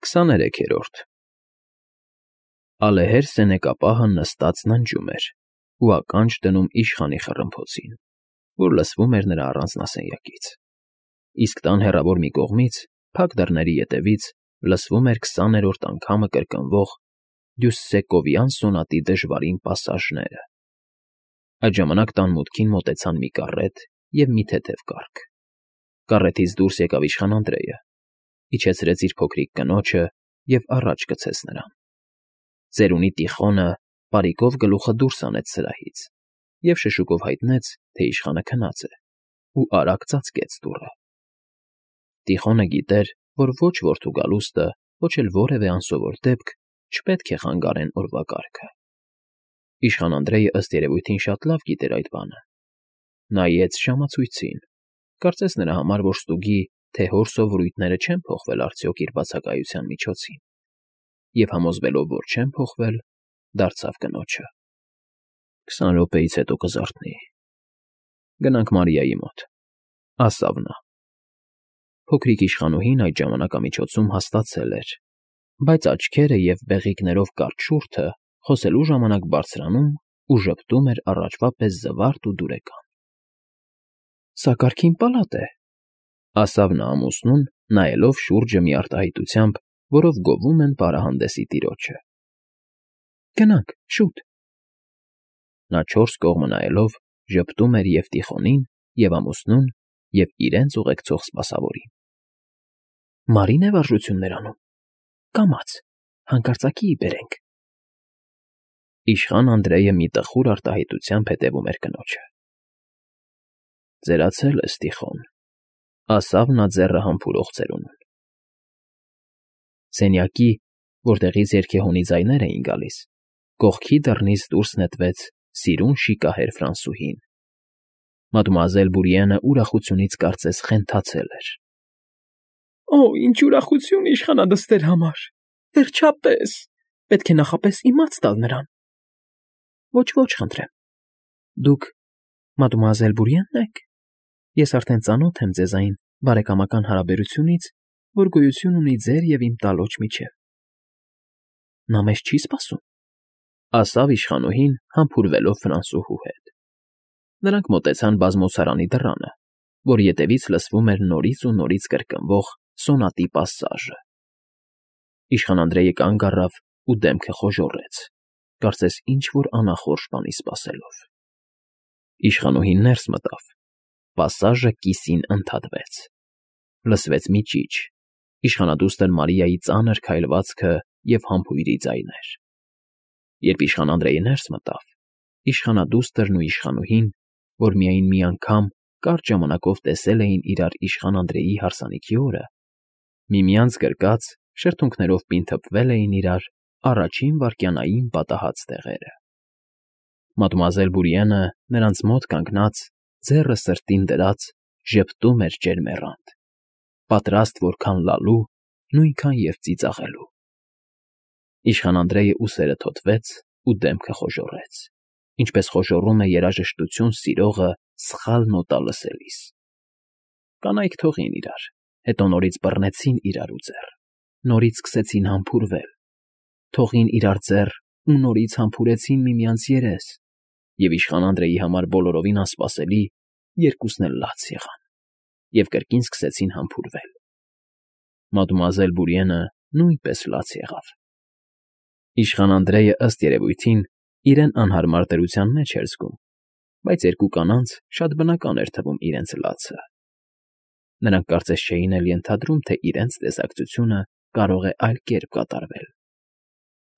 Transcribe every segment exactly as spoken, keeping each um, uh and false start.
Քսաներեքերորդ Ալեհեր սենեկապահը նստած ննջում էր ու ականջ դնում իշխանի խռմփոցին, որ լսվում էր նրա առանձնասենյակից, իսկ տան հեռավոր մի կողմից, փակ դռների ետևից, լսվում էր քսաներորդ անգամը կրկնվող Դյուսսեկովյան սոնատի դժվարին պասաժները։ Այդ ժամանակ տան մուտքին մոտեցան մի կառետ և մի թեթև կառք. կառետից դուրս եկավ իշխան Անդրեյը, իջեցրեց իր փոքրիկ կնոջը և առաջ գցեց նրան. ծերունի Տիխոնը պարիկով գլուխը դուրս հանեց սրահից և շշուկով հայտնեց, թե իշխանը քնած է, ու արագ ծածկեց դուռը։ Տիխոնը գիտեր, որ ոչ որդու գալուստը, ոչ էլ որևէ անսովոր դեպք չպետք է խանգարեն օրվա կարգը։ Իշխան Անդրեյը ըստ երևույթին շատ լավ գիտեր այդ բանը. նայեց ժամացույցին, կարծես նրա համար, որ ստուգի, թե հոր սովորույթները չեն փոխվել արդյոք իր բացակայության միջոցին, և համոզվելով, որ չեն փոխվել, դարձավ կնոջը. Քսան րոպեից հետո կզարթնի։ Գնանք Մարիայի մոտ, ասավ նա։ Փոքրիկ իշխանուհին այդ ժամանակամիջոցում հաստատել էր, բայց աչքերը և բեղիկներով կարճ շուրթը խոսելու ժամանակ բարձրանում ու ժպտում էր առաջվա պես զվարթ ու դուրեկան։ Սա կարգին պալատ է, ասավ նա ամուսնուն, նայելով շուրջը մի արտահայտությամբ, որով գովում են պարահանդեսի տիրոջը։ Գնանք, շուտ։ Նա չորս կողմը նայելով ժպտում էր և Տիխոնին, և ամուսնուն, և իրենց ուղեկցող սպասավորին։ Մարի՞ն է վարժություններ անում, կամաց, հանկարծակի բերենք։ Իշխան Անդրեյը մի տխուր արտահայտությամբ հետևում էր կնոջը։ Ձերացել ես, Տիխոն, ասավ նա ձեռը համբուրող ծերունուն։ Սենյակի, որտեղից երգեհոնի ձայներ էին գալիս, կողքի դռնից դուրս նետվեց սիրուն շիկահեր Ֆրանսուհին։ Մադմուազել Բուրիենը ուրախությունից կարծես խենթացել էր։ Օ, ինչ ուրախություն իշխանադստեր համար, վերջապես, պետք է նախապես իմաց տալ նրան։ Ոչ, ոչ, խնդրեմ, դուք մադմուազել Բուրիենն եք։ Ես արդեն ծանոթ եմ ձեզ այն բարեկամական հարաբերությունից, որ գոյություն ունի ձեր և իմ տալոջ միջև։ Նա մեզ չի սպասում, ասավ իշխանուհին, համբուրվելով Ֆրանսուհու հետ։ Նրանք մոտեցան բազմոցարանի դռանը, որ ետևից լսվում էր նորից ու նորից կրկնվող սոնատի պասաժը։ Իշխան Անդրեյը կանգ առավ ու դեմքը խոժոռեց, կարծես ինչ֊որ անախորժ բանի սպասելով։ Իշխանուհին ներս մտավ, պասաժը կիսին ընդհատվեց։ Լսվեց մի ճիչ, իշխանադուստր Մարիայի ծանր քայլվածքը և համբույրի ձայներ։ Երբ իշխան Անդրեյը ներս մտավ, իշխանադուստրն ու իշխանուհին, որ միայն մի անգամ կարճ ժամանակով տեսել էին իրար իշխան Անդրեյի հարսանիքի օրը, միմյանց գրկած, շրթունքներով պինթփվել էին իրար առաջին վայրկյանային պատահած տեղերը։ Մադմուազել Բուրիենը նրանց մոտ կանգնած, ձեռը սրտին դրած, ժպտում էր ջերմեռանդ, պատրաստ որքան լալու, նույնքան և ծիծաղելու։ Իշխան Անդրեյը ուսերը թոթվեց ու դեմքը խոժոռեց, ինչպես խոժոռում է երաժշտություն սիրողը սխալ նոտա լսելիս։ Կանայք թողին իրար, հետո նորից բռնեցին իրար ու ձեռ, նորից սկսեցին համբուրվել, թողին իրար ձեռ ու նորից համբուրեցին միմյանց երես, և իշխան Անդրեյի համար բոլորովին անսպասելի, երկուսն էլ լաց եղան և կրկին սկսեցին համբուրվել։ Մադմուազել Բուրիենը նույնպես լաց եղավ։ Իշխան Անդրեյը ըստ երևույթին իրեն անհարմար դրության մեջ էր զգում, բայց երկու կանանց շատ բնական էր թվում իրենց լացը։ Նրանք կարծես չէին էլ ենթադրում, թե իրենց տեսակցությունը կարող է այլ կերպ կատարվել։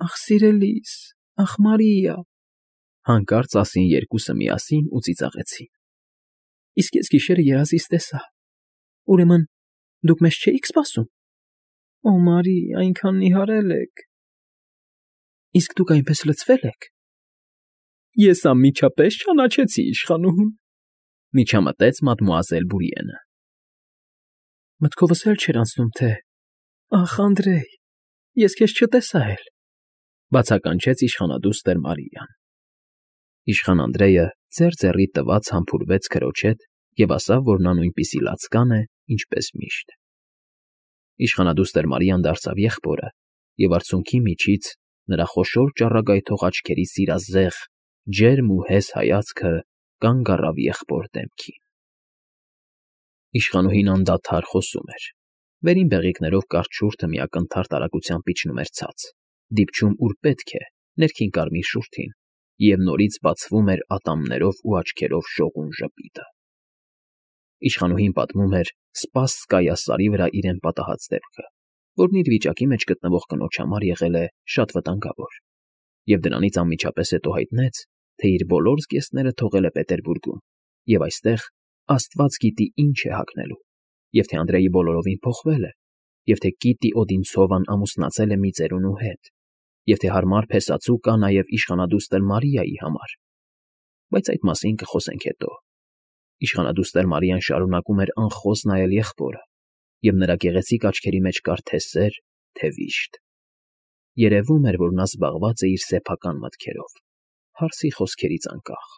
Ախ, սիրելիս, ախ, Մարիա, հանկարծ ասին երկուսը միասին ու ծիծաղեցին։ Իսկ ես գիշերը երազիս տեսա։ Ուրեմն դուք մեզ չէիք սպասում։ Օ, Մարի, այնքան նիհարել եք։ Իսկ դուք այնպես լցվել եք։ Ես անմիջապես ճանաչեցի իշխանուհուն, միջամտեց մադմուազել Բուրիենը։ Մտքովս էլ չէր անցնում, թե… Ախ, Անդրեյ, ես քեզ չտեսա էլ, բացականչեց իշխանադուստր Մարիան։ Իշխան Անդրեյը ձեռ ձեռի տված համբուրվեց քրոջ հետ և ասավ, որ նա նույնպիսի լացկան է, ինչպես միշտ։ Իշխանադուստր Մարիան դարձավ եղբորը, և արցունքի միջից նրա խոշոր ճառագայթող աչքերի սիրազեղ, ջերմ ու հես հայացքը կանգ առավ եղբոր դեմքին։ Իշխանուհին անդադար խոսում էր։ Վերին բեղիկներով կարճ շուրթը մի ակնթարթ արագությամբ իջնում էր ցած, դիպչում ուր պետք է, ներքին կարմիր շուրթին, և նորից բացվում էր ատամներով ու աչքերով շողուն ժպիտը։ Իշխանուհին պատմում էր Սպասսկայա սարի վրա իրեն պատահած դեպքը, որն իր վիճակի մեջ գտնվող կնոջ համար եղել է շատ վտանգավոր, և դրանից անմիջապես հետո հայտնեց, թե իր բոլոր զգեստները թողել է Պետերբուրգում, և այստեղ աստված գիտի ինչ է հագնելու, և թե Անդրեյը բոլորովին փոխվել է, և թե Կիտի Օդինցովան ամուսնացել է մի ծերունու հետ, և թե հարմար փեսածու կա նաև իշխանադուստր Մարիայի համար, բայց այդ մասին կխոսենք հետո։ Իշխանադուստր Մարիան շարունակում էր անխոս նայել եղբորը, և նրա գեղեցիկ աչքերի մեջ կար թե սեր, թե վիշտ։ Երևում էր, որ նա զբաղված է իր սեփական մտքերով, հարսի խոսքերից անկախ։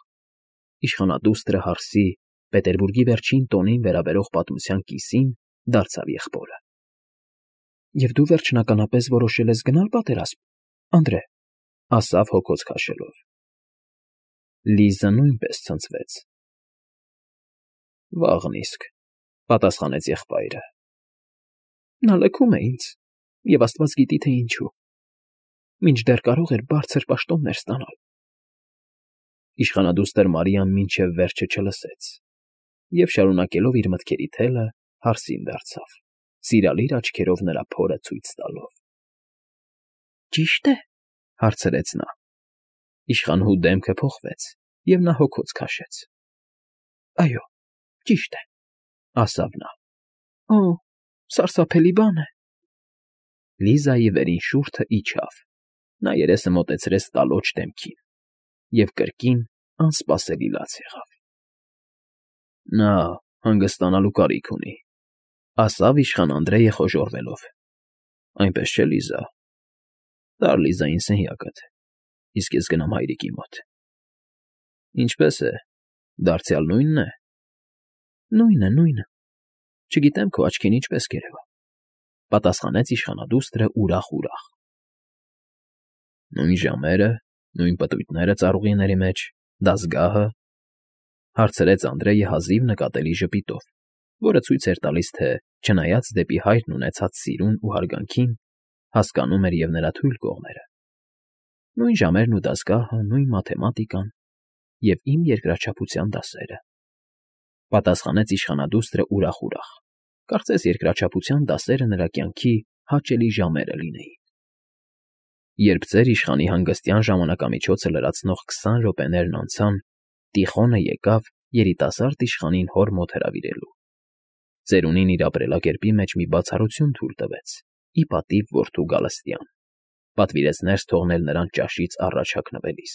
Իշխանադուստրը հարսի Պետերբուրգի վերջին տոնին վերաբերող պատմության կիսին դարձավ եղբորը։ ֊ Եվ դու վերջնականապես որոշել ես գնալ պատերազմ, Անդրե, ֊ ասավ հոգոց քաշելով։ Լիզը նույնպես ցնցվեց։ ֊ Վաղն իսկ, ֊ պատասխանեց եղբայրը։ Նա լքում է ինձ, և աստված գիտի, թե ինչու, մինչդեռ կարող էր բարձր պաշտոններ ստանալ։ Իշխանադուստր Մարիան մինչև վերջը չլսեց և, շարունակելով իր մտքերի թելը, հարսին դարձավ, սիրալիր աչքերով նրա փորը ցույց տալով։ ֊ Ճի՞շտ է, ֊ հարցրեց նա։ Իշխանուհու դեմքը փոխվեց, և նա հոգոց քաշեց։ ֊ Այո, ճիշտ է, ֊ ասավ նա։ ֊ Օ՜, սարսափելի բան է։ Լիզայի վերին շուրթը իջավ, նա երեսը մոտեցրեց տալոջ դեմքին, և կրկին անսպասելի լաց եղավ։ ֊ Նա հանգստանալու կարիք ունի, ֊ ասավ իշխան Անդրեյը խոժոռվելով։ ֊ Այնպես չէ, Լիզա։ Տար Լիզային սենյակդ, իսկ ես գնամ հայրիկի մոտ։ ֊ Ինչպե՞ս է, դարձյալ նույնն է։ ֊ Նույնը, նույնը, չգիտեմ քո աչքին ինչպես կերևա, ֊ պատասխանեց իշխանադուստրը ուրախ֊ուրախ։ ֊ Նույն ժամերը, նույն պտույտները ծառուղիների մեջ, դասգա՞հը, ֊ հարցրեց Անդրեյը հազիվ նկատելի ժպիտով, որը ցույց էր տալիս, թե, չնայած դեպի հայրն ունեցած սիրուն ու հարգանքին, հասկանում էր և նրա թույլ կողմերը։ Նույն ժամերն ու դասգահը, նույն մաթեմատիկան և իմ երկրաչափության դասերը, ֊ պատասխանեց իշխանադուստրը ուրախ֊ուրախ, կարծես երկրաչափության դասերը նրա կյանքի հաճելի ժամերը լինեին։ Երբ ծեր իշխանի հանգստյան ժամանակամիջոցը լրացնող քսան րոպեներն անցան, Տիխոնը եկավ երիտասարդ իշխանին հոր մոտ հրավիրելու։ Ծերունին իր ապրելակերպի մեջ մի բացառություն թույլ տվեց, ի պատիվ որդու գալստյան, պատվիրեց ներս թողնել նրան ճաշից առաջ հագնվելիս։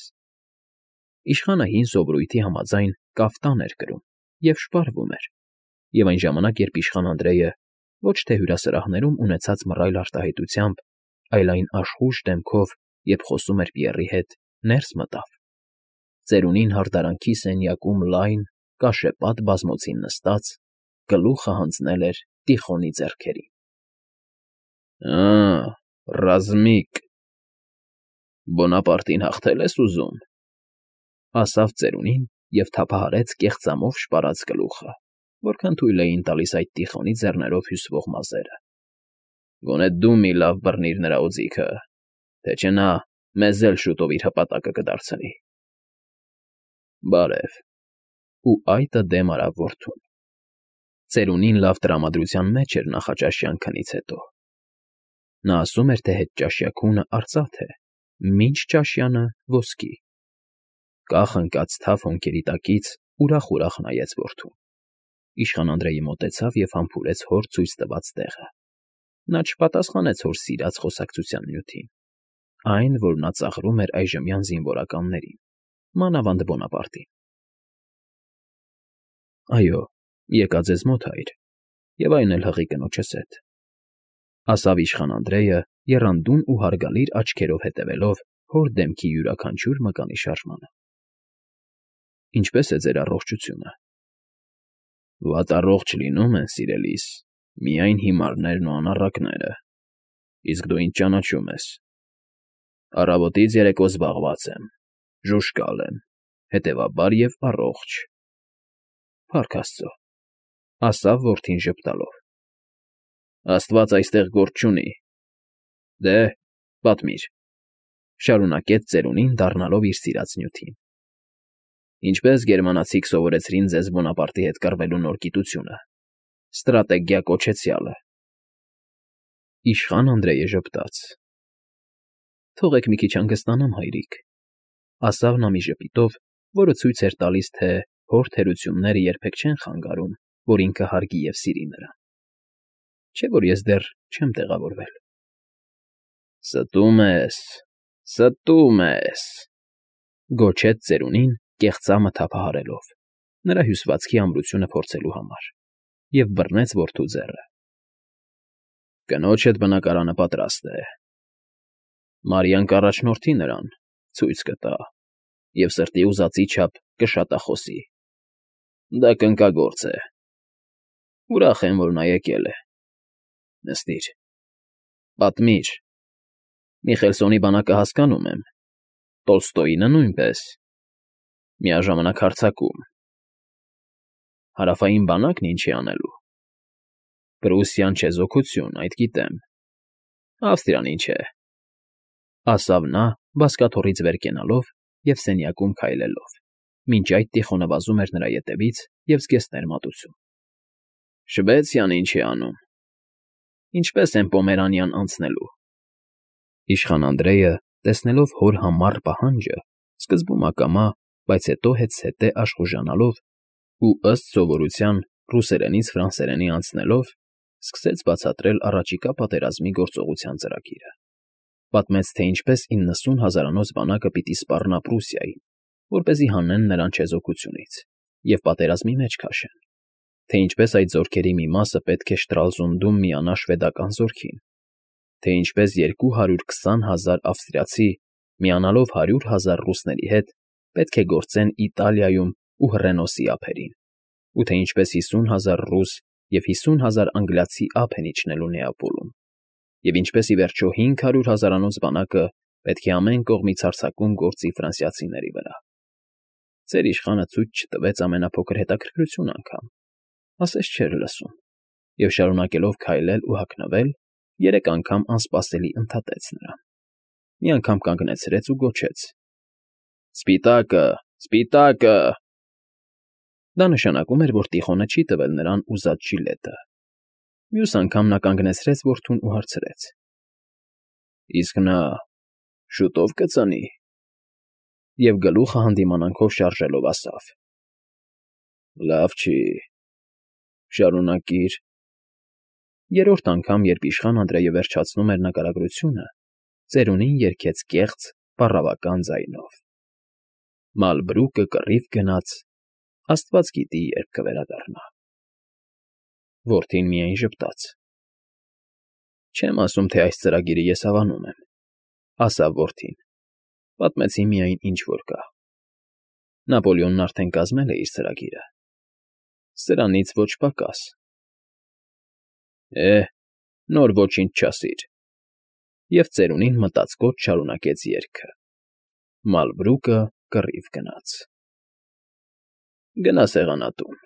Իշխանը հին սովորույթի համաձայն կաֆտան էր կրում և շպարվում էր, և այն ժամանակ, երբ իշխան Անդրեյը ոչ թե հյուրասրահներում ունեցած մռայլ արտահայտությամբ, այլ այն աշխույժ դեմքով, երբ խոսում էր Պիեռի հետ, ներս մտավ, ծերունին հարդարանքի սենյակում լայն, կաշեպատ բազմոցին նստած, գլուխը հանձնել էր Տիխոնի ձեռքերին։ ֊ Ա՜, ռազմիկ, Բոնապարտին հաղթե՞լ ես ուզում, ֊ ասավ ծերունին և թափահարեց կեղծամով շպարած գլուխը, որքան թույլ էին տալիս այդ Տիխոնի ձեռներով հյուսվող մազերը։ ֊ Գոնե դու մի լավ բռնիր նրա օձիքը, թե չէ նա մեզ էլ շուտով իր հպատակը կդարձնի։ Բարև։ Ու այտը դեմ արավ որդուն։ Ծերունին լավ տրամադրության մեջ էր նախաճաշյան քնից հետո։ Նա ասում էր, թե հետճաշյա քունը արծաթ է, մինչճաշյանը՝ ոսկի։ Կախ ընկած թավ հոնքերի տակից ուրախ֊ուրախ նայեց որդուն։ Իշխան Անդրեյը մոտեցավ և համբուրեց հոր ցույց տված տեղը։ Նա չպատասխանեց հոր սիրած խոսակցության նյութին, այն, որ նա ծաղրում էր այժմյան զինվորականներին, մանավանդ Բոնապարտին։ ֊ Այո, եկա ձեզ մոտ, հայր, և այն էլ հղի կնոջս հետ, ֊ ասավ իշխան Անդրեյը, եռանդուն ու հարգալիր աչքերով հետևելով հոր դեմքի յուրաքանչյուր մկանի շարժմանը։ ֊ Ինչպե՞ս է ձեր առողջությունը։ ֊ Վատ առողջ լինում են, սիրելիս, Միայն հիմարներն ու անառակները, իսկ դու ինձ ճանաչում ես։ Առավոտից երեկո զբաղված եմ, ժուժկալ եմ, հետևաբար և առողջ։ Փառք Աստծո, ասավ որդին ժպտալով։ Աստված այստեղ գործ չունի։ Դե, պատմիր, շարունակեց ծերունին, դառնալով իր սիրած նյութին։ Ինչպես գերմանացիք սովորեցրին ձեզ Բոնապարտի հետ կռվելու նոր գիտությունը, ստրատեգիա կոչեցյալը։ Իշխան Անդրեյը ժպտաց։ Թողեք մի քիչ հանգստանամ, հայրիկ, ասավ նա մի ժպիտով, որը ցույց էր տալիս, թե հոր թերությունները երբեք չեն խանգարում, որ ինքը հարգի և սիրի նրան։ Չէ՞ որ ես դեռ չեմ տեղավորվել։ Ստում ես, ստում ես, գոչեց ծերունին, կեղծամը թափահարելով, նրա հյուսվածքի ամրությունը փորձելու համար, և բռնեց որդու ձեռը։ Կնոջդ բնակարանը պատրաստ է։ Մարիան կառաջնորդի նրան, ցույց կտա և սրտի ուզածի չափ կշատախոսի։ Դա կնկագործ է։ Ուրախ եմ, որ նա եկել է։ Նստիր, պատմիր։ Միխելսոնի բանակը հասկանում եմ, Տոլստոյինը նույնպես, միաժամանակ հարձակում։ Հարավային բանակն ինչ է անելու։ Պրուսիան չեզոքություն, այդ գիտեմ։ Ավստրիան ինչ է, ասավ նա, բազկաթոռից վեր կենալով և սենյակում քայլելով, մինչ այդ Տիխոնը վազում էր նրա ետևից և զգեստներ մատուցում։ Շվեցիան ինչ է անում։ Ինչպես են Պոմերանիան անցնելու։ Իշխան Անդրեյը, տեսնելով հոր համառ պահանջը, սկզբում ակամա, բայց հետո հետզհետե աշխուժանալով ու, ըստ սովորության, ռուսերենից ֆրանսերենի անցնելով, սկսեց բացատրել առաջիկա պատերազմի գործողության ծրագիրը։ Պատմեց, թե ինչպես իննսուն հազարանոց բանակը պիտի սպառնա Պրուսիային, որպեսզի հանեն նրան չեզոքությունից և պատերազմի մեջ քաշեն, թե ինչպես այդ զորքերի մի մասը պետք է Շտրալզունդում միանա շվեդական զորքին, թե ինչպես երկու հարյուր քսան հազար ավստրիացի, միանալով հարյուր հազար ռուսների հետ, պետք է գործեն Իտալիայում ու հռենոսի ափերին, ու թե ինչպես հիսուն հազար ռուս և հիսուն հազար անգլիացի ափ են իջնելու Նեապոլում, և ինչպես, ի վերջո, հինգ հարյուր հազարանոց բանակը պետք է ամեն կողմից հարձակում գործի ֆրանսիացիների վրա։ Ձեր իշխանը ցույց չտվեց ամենափոքր հետաքրքրություն անգամ, ասես չէր լսում, և շարունակելով քայլել ու հագնվել, երեք անգամ անսպասելի ընդհատեց նրան։ Մի անգամ կանգնեցրեց ու գոչեց. Սպիտակը, սպիտակը։ Դա նշանակում էր, որ Տիխոնը չի տվել նրան ուզած ժիլետը։ Մյուս անգամ նա կանգնեցրեց որդուն ու հարցրեց. Իսկ նա շուտով կծնի։ Եվ գլուխը հանդիմանանքով շարժելով ասավ. Լավ չի, շարունակիր։ Երրորդ անգամ, երբ իշխան Անդրեյը վերջացնում էր նկարագրությունը, ծերունին երգեց կեղծ, պառավական ձայնով. Մալբրուկը կռիվ գնաց, Աստված գիտի, երբ կվերադառնա։ Որդին միայն ժպտաց։ Չեմ ասում, թե այս ծրագիրը ես հավանում եմ, ասավ որդին, պատմեցի միայն ինչ որ կա։ Նապոլեոնն արդեն կազմել է իր ծրագիրը։ Սրանից ոչ պակաս։ Է, նոր ոչինչ չասիր։ Եվ ծերունին մտածկոտ շարունակեց երգը. Մալբրուկը կռիվ գնաց։ Գնա սեղանատուն։